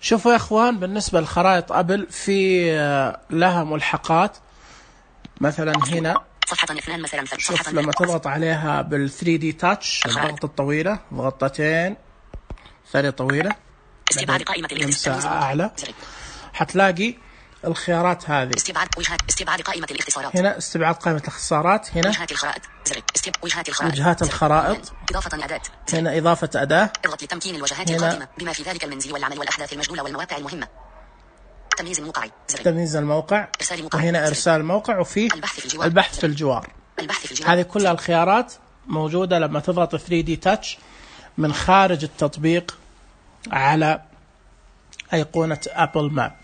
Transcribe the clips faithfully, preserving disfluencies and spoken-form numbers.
شوفوا يا اخوان، بالنسبة للخرائط ابل في لها ملحقات. مثلا هنا شوف لما تضغط عليها بال ثري دي تاتش، الضغط الطويلة، ضغطتين ثانية طويلة، استبعاد قائمة الاختصارات أعلى، حتلاقي الخيارات هذه. استبعاد وجهات استبعاد قائمة الاختصارات. هنا استبعاد قائمة الاختصارات. هنا وجهات الخرائط. استب وجهات الخرائط. وجهات الخرائط. إضافة أداة. هنا إضافة أداة. اضغط لتمكين الوجهات القادمة بما في ذلك المنزل والعمل والأحداث المجدولة والمواقع المهمة. تمييز الموقع. تمييز الموقع. إرسال موقع. وهنا إرسال موقع، وفيه البحث في الجوار. البحث في الجوار. البحث في الجوار. هذه كلها الخيارات موجودة لما تضغط ثري دي تاتش من خارج التطبيق على أيقونة أبل ماب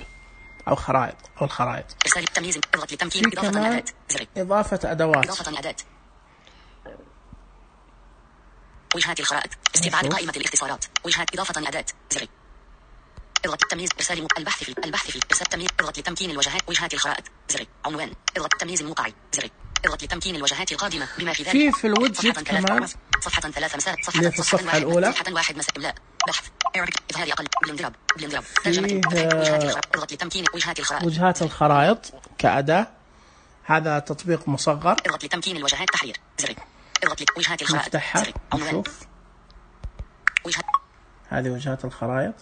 أو خرائط أو الخرائط. إرسال التمييز. اضغط لتمكين إضافة أداة. إضافة أدوات. إضافة أداة. وجهات الخرائط. استبعاد قائمة الاختصارات. وجهات. إضافة أداة. زر. اضغط التمييز. إرسال م... البحث في البحث في إرسال تمييز. اضغط لتمكين الوجهات. وجهات الخرائط. زر. عنوان. اضغط تمييز الموقع. زر. اضغط لتمكين الوجهات القادمة بما في ذلك. في في الوجهات كمان. صفحة ثلاث مسار. صفحة في الصفحة الأولى. صفحة واحد مسار. لا. بحث. إيريك. إظهار أقل. بلندراب. بلندراب. فيه اضغط لتمكين وجهات الخرائط. وجهات الخرائط كأداة. هذا تطبيق مصغر. اضغط لتمكين الوجهات. تحرير. زر. اضغط لوجهات الخرائط. نفتحها نشوف. وجهات. هذه وجهات الخرائط.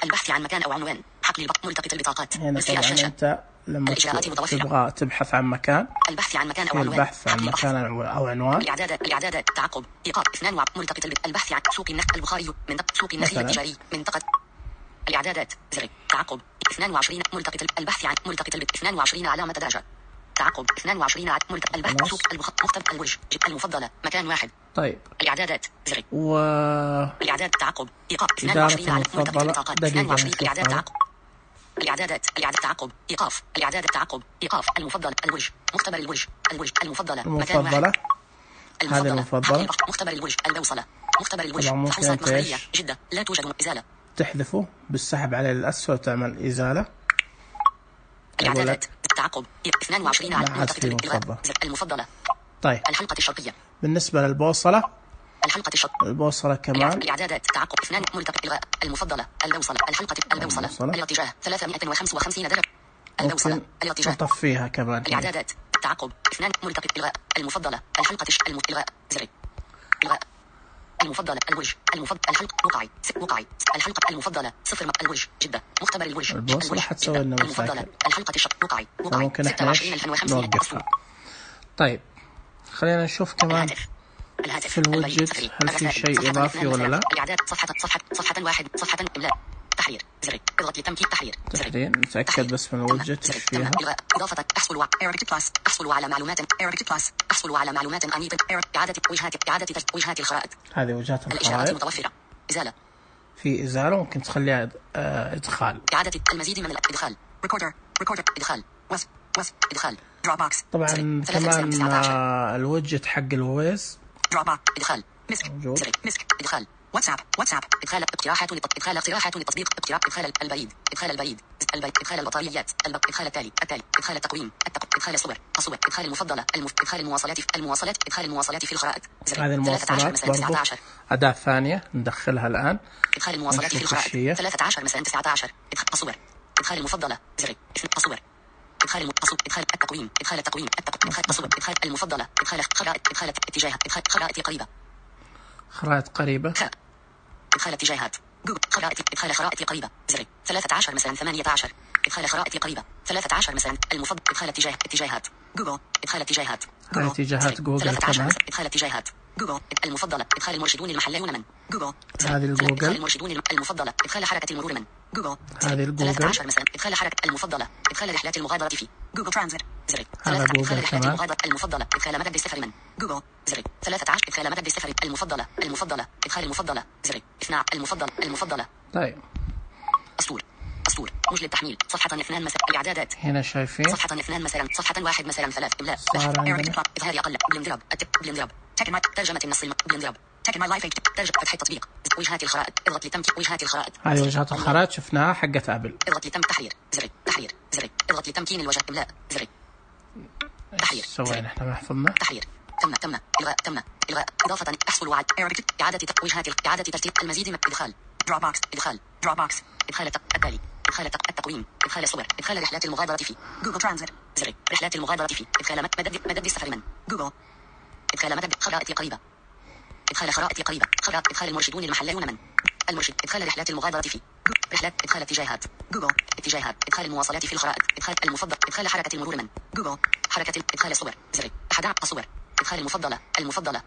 البحث عن مكان أو عنوان. حقل البق. ملتقط البطاقات. هنا طبعا أنت لما تبغى تبحث عن مكان. البحث عن مكان أو عنوان. البحث عن مكان أو عنوان. الإعدادات. الإعدادات. تعقب. إيقاف. اثنان وع. ملتقط البط. البحث عن سوق النخل البخاري. منطقة سوق النخيل التجاري. منطقة. الإعدادات. زر. تعقب. اثنان وعشرين. ملتقط البحث عن ملتقط البط. اثنان وعشرين علامة درجة. تعقب. اثنان وعشرين. ملتقط البحث. سوق البخ. مختبر الورش. المفضلة. مكان واحد. طيب. الإعدادات. زر. و. الإعداد. تعقب. إيقاف. اثنان وعشرين على ملتقط البطاقات. اثنان وعشرين. الإعداد. تعقب. الإعدادات. الإعداد. تعقب. إيقاف. الإعدادات. تعقب. إيقاف. المفضل. الورش. مختبر الورش. الورش. المفضلة. مكان واحد. هذه المفضلة. مختبر الورش. البوصلة. مختبر الورش. فحوصات مخبرية. جدة. لا توجد إزالة. تحذفه بالسحب على الأسفل وتعمل إزالة. الإعدادات. تعقب. اثنان وعشرين على ملتقط المفضلة. طيب. الحلقة الشرقية. بالنسبة للبوصلة. الحلقة الشرقية. البوصلة كمان. الإعدادات. تعقب. اثنان. ملتقط إلغاء. المفضلة. البوصلة. الحلقة. البوصلة. الاتجاه. ثلاثمائة وخمسة وخمسين درجة. البوصلة. الاتجاه. نطفيها كمان. الإعدادات. تعقب. اثنان. ملتقط إلغاء. المفضلة. الحلقة الش... الم... إلغاء. زر. إلغاء. المفضلة. الورش. المفضل. الحلقة. وقعي. وقعي. الحلقة المفضلة. صفر. الورش. جدة. مختبر الورش. البوصلة حتسوي لنا المفضلة. الحلقة الش... وقعي. وقعي. ممكن احنا نوقفها. طيب خلينا نشوف كمان الهاتف. في الوجت هل في شيء إضافي ولا لا. الإعداد. صفحة صفحة صفحة واحد. صفحة إملاء. تحرير. زر. اضغط لتمكين. تحرير. تحرير. نتأكد بس من الوجت ايش فيها. إضافة. أحصل على إيريك بلس. أحصل على معلومات. إيريك بلس. أحصل على معلومات أنية. إعادة وجهات. إعادة وجهات الخرائط. هذه وجهات الإشارات الخرائط. متوفرة. إزالة. في إزالة ممكن تخليها إدخال. إعادة المزيد من الإدخال. ريكوردر. ريكوردر. إدخال. وصف. وصف. إدخال. دروب بوكس. طبعا كمان الوجت حق الويز. دروب بوكس. إدخال. مسك. زر. مسك. إدخال. واتساب. واتساب. إدخال اقتراحات إدخال اقتراحات للتطبيق. اقتراح. إدخال البريد. إدخال البريد. البريد. إدخال البطاريات. إدخال التالي. التالي. إدخال التقويم. إدخال الصور. الصور. إدخال المفضلة. المف... إدخال المواصلات. المواصلات. إدخال المواصلات في الخرائط. هذه المواصلات برضو أداة ثانية ندخلها الآن. إدخال المواصلات في الخرائط. ثلاثة عشر مثلا تسعة عشر. إدخال الصور. إدخال المفضلة. زر. الصور. إدخال التصوير. إدخال التقويم. إدخال التقويم. إدخال التصوير. إدخال المفضلة. إدخال خرائط. إدخال اتجاهات. إدخال خرائط قريبة. خرائط قريبة. إدخال اتجاهات. جوجل. خرائط. إدخال خرائط قريبة. زر. ثلاثة عشر مثلا ثمانية عشر. إدخال خرائط قريبة. ثلاثة عشر مثلا المفضل. إدخال اتجاه. اتجاهات. جوجل. إدخال اتجاهات. جوجل. اتجاهات جوجل كمان. إدخال اتجاهات. جوجل. المفضلة. إدخال المرشدون المحليون من. جوجل. هذه الجوجل. إدخال المرشدون المفضلة. إدخال حركة المرور من. جوجل. هذه الجوجل. ثلاثة عشر مثلا إدخال حركة المفضلة. إدخال رحلات المغادرة في. جوجل ترانزيت. زر. هذا جوجل إدخال رحلات كمان. المغادرة المفضلة. إدخال مدد السفر من. جوجل. زر. ثلاثة عشر. إدخال مدد السفر المفضلة. المفضلة. إدخال المفضلة. زر. اثنان. المفضل. المفضلة. طيب. أسطور. أسطور. مجلد التحميل. صفحة اثنان مثلا. الإعدادات. هنا شايفين. صفحة اثنان مثلا. صفحة واحد مثلا ثلاث. إملاء. إظهار أقل. بلندراب. بلندراب. ترجمة النص. بلندراب. تك ماي لايف. ترجمة فتح التطبيق. وجهات الخرائط. اضغط لتمكين وجهات الخرائط. هذه وجهات الخرائط شفناها حقت أبل. اضغط لتم تحرير. زر. تحرير. زر. اضغط لتمكين الوجه. إملاء. زر. تحرير. سوينا احنا ما حفظنا. تحرير. تم. تم. إلغاء. تم. إلغاء. إضافة. أحصل على إعادة وجهات. إعادة ترتيب المزيد من الإدخال. Dropbox إدخال Dropbox إدخال التالي إدخال التقويم إدخال صور إدخال رحلات المغادرة في Google Transit زر رحلات المغادرة في إدخال مدد مدد السفر من Google إدخال مدد خرائط قريبة إدخال خرائط قريبة خرائط إدخال المرشدون المحليون من المرشد إدخال رحلات المغادرة في رحلات إدخال اتجاهات جوجل اتجاهات إدخال المواصلات في الخرائط إدخال المفضل إدخال حركة المرور من جوجل حركة إدخال الصور زر أحد الصور إدخال المفضلة المفضلة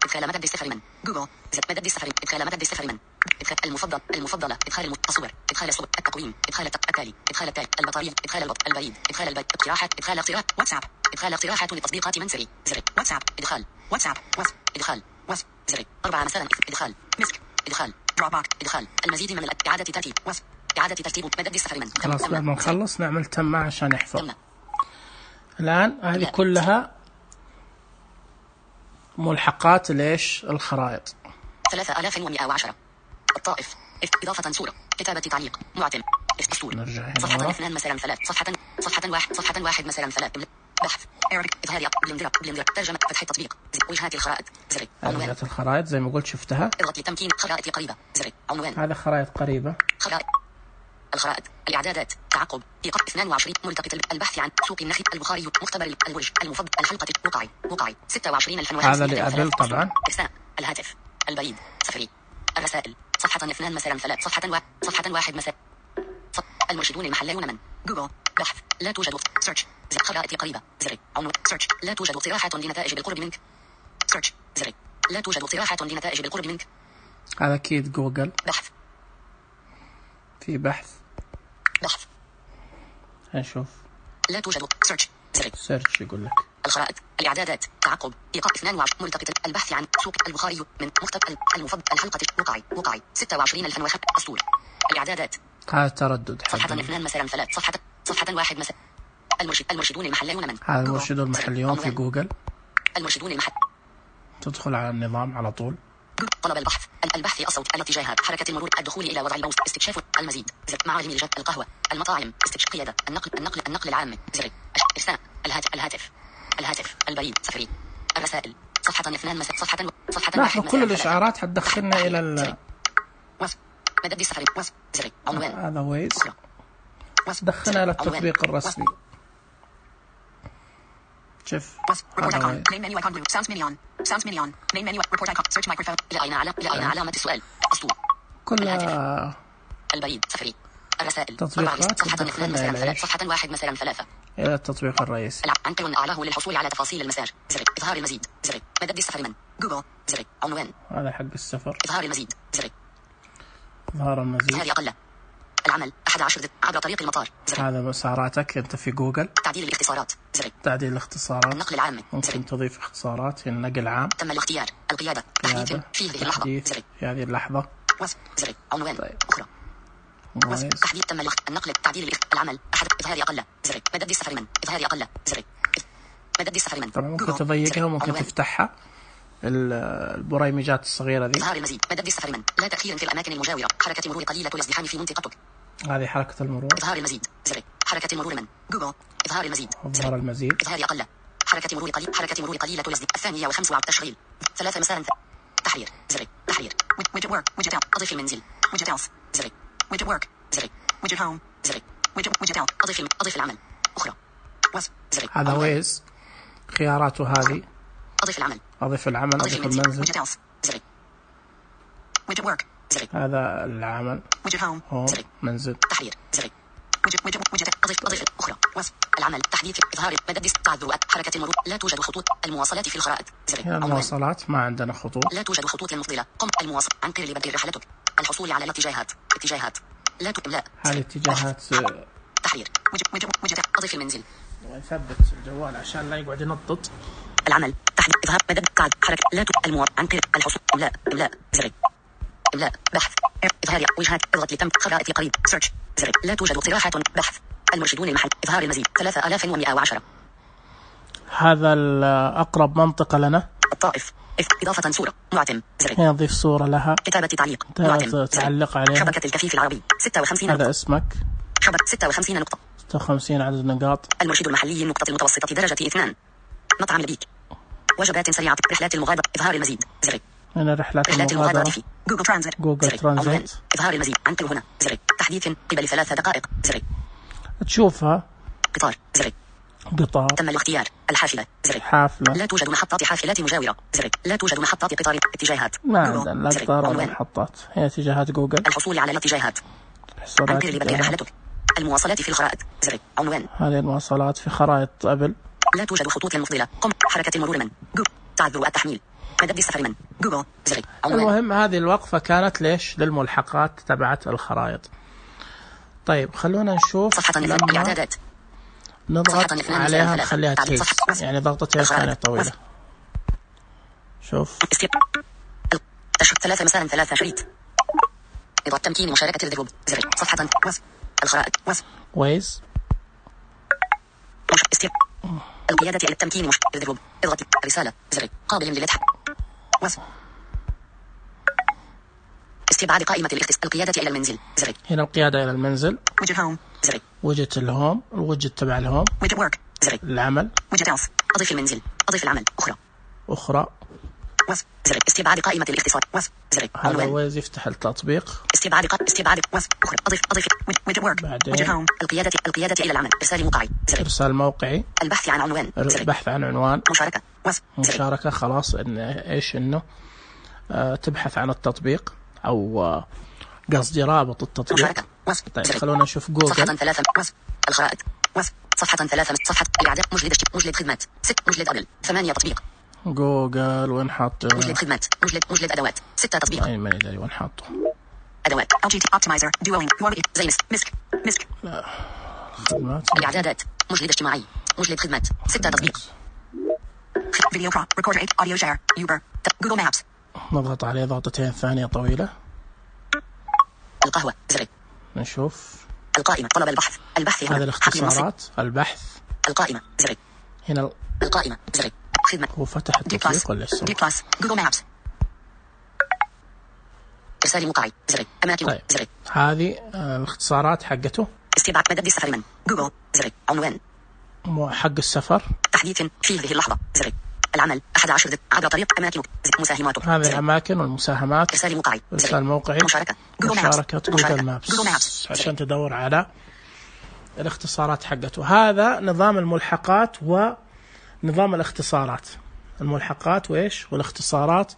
إدخال مدد السفر من جوجل زر مدد السفر إدخال مدد السفر من إدخال المفضل المفضلة إدخال الصور إدخال الصور التقويم إدخال التالي إدخال التالي البطارية إدخال البط البريد إدخال البريد اقتراحات إدخال اقتراح واتساب إدخال اقتراحات لتطبيقات منزلي زر واتساب إدخال واتساب واتس إدخال واتس زر أربعة مثلا إدخال مسك إدخال دروببوكس إدخال المزيد من إعادة ترتيب واتس إعادة ترتيب مدد السفر من خلاص بعد ما نخلص نعمل تم عشان يحفظ. الآن هذه كلها ملحقات ليش الخرائط. ثلاثة آلاف ومئة وعشرة الطائف إضافة صورة كتابة تعليق معتم أسطول صفحة اثنان مثلا ثلاث صفحة صفحة واحد صفحة واحد مثلا ثلاث بحث إظهار بلندر بلندر ترجمة فتح التطبيق وجهات الخرائط زر وجهات الخرائط زي ما قلت شفتها. اضغط لتمكين خرائط قريبة زر عنوان هذا خرائط قريبة خرائط الخرائط الإعدادات تعقب إيقاف اثنان وعشرين ملتقط البحث عن سوق النخل البخاري مختبر البرج المفضل الحلقة وقعي وقعي ستة وعشرين ألف هذا اللي قبل طبعا إرسال الهاتف البريد سفري الرسائل صفحة اثنان مثلا ثلاث صفحة واحد صفحة واحد مثلا المرشدون المحليون من جوجل بحث لا توجد سيرش زر خرائط قريبة زر عنوان سيرش لا توجد اقتراحات لنتائج بالقرب منك سيرش زر لا توجد اقتراحات لنتائج بالقرب منك. هذا أكيد جوجل. بحث في بحث بحث هنشوف لا توجد سيرش زر سيرش يقول لك الخرائط الإعدادات تعقب إيقاف اثنان وعشرين ملتقط البحث عن سوق البخاري من مختبر المفضل الحلقة وقعي وقعي ستة وعشرين ألف وخمسة أسطول الإعدادات هذا تردد صفحة اثنان مثلا ثلاث صفحة صفحة واحد مثلا المرشد المرشدون المحليون من هذا المرشدون المحليون في جوجل. المرشدون المحل تدخل على النظام على طول. طلب البحث البحث الصوت الاتجاهات حركة المرور الدخول إلى وضع الموس استكشاف المزيد زر معالم الجد القهوة المطاعم استكشاف قيادة النقل النقل النقل العام زر إرسال الهاتف الهاتف الهاتف البريد سفري الرسائل صفحة اثنان مثلا صفحة صفحة واحد كل الإشعارات حتدخلنا إلى ال مدد السفر زر عنوان هذا ويز دخلنا إلى التطبيق الرسمي. شوف لأين علامة السؤال أسطول كلها البريد سفري الرسائل تطبيقات تدخلنا إلى صفحة واحد مثلا ثلاثة إلى التطبيق الرئيسي. عنكر أعلاه للحصول على تفاصيل المساج زر إظهار المزيد زر مدد السفر من جوجل زر عنوان هذا حق السفر إظهار المزيد زر إظهار المزيد هذه أقل العمل أحد عشر عبر طريق المطار زر. هذا مساراتك أنت في جوجل. تعديل الاختصارات زر تعديل الاختصارات النقل العام ممكن زر. تضيف اختصارات في النقل العام. تم الاختيار القيادة تحديث في هذه اللحظة زر في هذه اللحظة زر عنوان طيب. أخرى مميز. تحديد تم النقل تعديل العمل أحد إظهار أقل زر مدد السفر من إظهار أقل زر مدد السفر من طبعا ممكن تضيقها وممكن تفتحها البريمجات الصغيرة ذي. إظهار المزيد مدد السفر من لا تأخير في الأماكن المجاورة حركة مرور قليلة الازدحام في منطقتك هذه حركة المرور. إظهار المزيد زر حركة المرور من جوجل إظهار المزيد إظهار المزيد إظهار أقل حركة مرور قليل حركة مرور قليلة الازدحام الثانية وخمس وعشرين تشغيل ثلاثة مسار تحرير زر تحرير widget work widget out أضيف المنزل widget else زر widget work زر widget home زر widget widget out أضيف أضيف العمل أخرى وز زر هذا ويز خياراته هذه أضيف العمل أضيف العمل أضيف المنزل widget else زر widget work زر هذا العمل widget home هوم زر منزل تحرير زر widget widget widget أضيف أضيف أخرى وز العمل تحديث إظهار مدد تعذر حركة المرور لا توجد خطوط المواصلات في الخرائط زر هنا المواصلات ما عندنا خطوط. لا توجد خطوط مفضلة قم المواصل عنقر لبدء رحلتك الحصول على الاتجاهات اتجاهات لا تملا هذه اتجاهات تحرير widget widget widget أضيف المنزل ونثبت الجوال عشان لا يقعد ينطط. العمل تحديد إظهار مدد تعد حركة لا المواصل عنقر الحصول إملاء إملاء زر إملاء بحث إظهار وجهات اضغط لتم خرائط قريب سيرش زر لا توجد اقتراحات بحث المرشدون المحل إظهار المزيد ثلاثة آلاف ومئة وعشرة هذا الأقرب منطقة لنا. الطائف إضافة صورة معتم زر هنا نضيف صورة لها كتابة تعليق معتم تعلق عليها. شبكة الكفيف العربي ستة وخمسين هذا اسمك شبكة ستة وخمسين نقطة ستة وخمسين عدد نقاط. المرشد المحلي النقطة المتوسطة درجة اثنان مطعم البيك وجبات سريعة رحلات المغادرة إظهار المزيد زر هنا رحلات رحلات المغادرة المغادرة في جوجل ترانزيت جوجل ترانزيت. إظهار المزيد عن كل هنا زر تحديث قبل ثلاث دقائق زر تشوفها قطار زر قطار تم الاختيار الحافلة زر حافلة لا توجد محطات حافلات مجاورة زر لا توجد محطات قطار اتجاهات ما عندنا لا قطار ولا محطات. هي اتجاهات جوجل. الحصول على الاتجاهات عن كل بدء رحلتك. المواصلات في الخرائط زر عنوان هذه المواصلات في خرائط أبل. لا توجد خطوط مفضلة قم حركة المرور من جوجل تعذر التحميل مدد السفر من جوجل زر عنوان. المهم هذه الوقفة كانت ليش للملحقات تبعت الخرائط. طيب خلونا نشوف صفحة لما الإعدادات نضغط عليها نخليها تهز يعني ضغطتين ثانية طويلة. شوف ثلاثة مساء ثلاثة شريط إضافة تمكين مشاركة الذروب زر صفحة وصف الخرائط وصف ويز استيب القيادة إلى التمكين مش الذروب اضغط رسالة زر قابل للفتح وصف استبعاد قائمة الاختصاص القيادة إلى المنزل زر هنا القيادة إلى المنزل. وجت هوم زر وجت الهوم الوجت تبع الهوم. وجت ورك زر العمل. وجت أوف أضيف المنزل أضيف العمل أخرى أخرى وصف زر استبعاد قائمة الاختصاص وصف زر هذا ويز يفتح التطبيق. استبعاد قائمة استبعاد وصف أخرى أضيف أضيف وجت ورك وجت هوم القيادة القيادة إلى العمل إرسال موقعي زر إرسال موقعي البحث عن عنوان زر البحث عن عنوان مشاركة وصف مشاركة خلاص إن إيش إنه آه تبحث عن التطبيق أو آه قصدي رابط التطبيق. مشاركة وصف طيب خلونا نشوف جوجل. صفحة ثلاثة وصف الخرائط وصف صفحة ثلاثة صفحة الإعداد مجلد مجلد خدمات ست مجلد أبل ثمانية تطبيق جوجل وين حاط مجلد خدمات مجلد مجلد أدوات ستة تطبيق أي ما يدري وين حاطه أدوات أو جي تي أوبتمايزر دوينج زي مسك مسك لا خدمات الإعدادات مجلد اجتماعي مجلد خدمات ستة تطبيق فيديو برو ريكوردر أوديو شير يوبر جوجل مابس نضغط عليه ضغطتين ثانية طويلة. القهوة زر نشوف القائمة طلب البحث البحث هنا هذه الاختصارات البحث القائمة زر هنا القائمة زر خدمة هو فتح التطبيق ولا لسه؟ دي بلس جوجل مابس إرسال موقعي زر أماكن طيب. زر هذه الاختصارات حقته. استبعاد مدد السفر من جوجل زر عنوان حق السفر تحديث في هذه اللحظة زر العمل أحد عشر عبر طريق أماكن مساهماتك هذه الأماكن والمساهمات. إرسال موقعي إرسال موقعي مشاركة جوجل مشاركة جوجل مابس مابس, مابس. عشان تدور على الاختصارات حقته. هذا نظام الملحقات ونظام الاختصارات الملحقات وإيش والاختصارات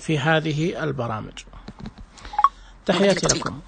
في هذه البرامج. تحياتي لكم.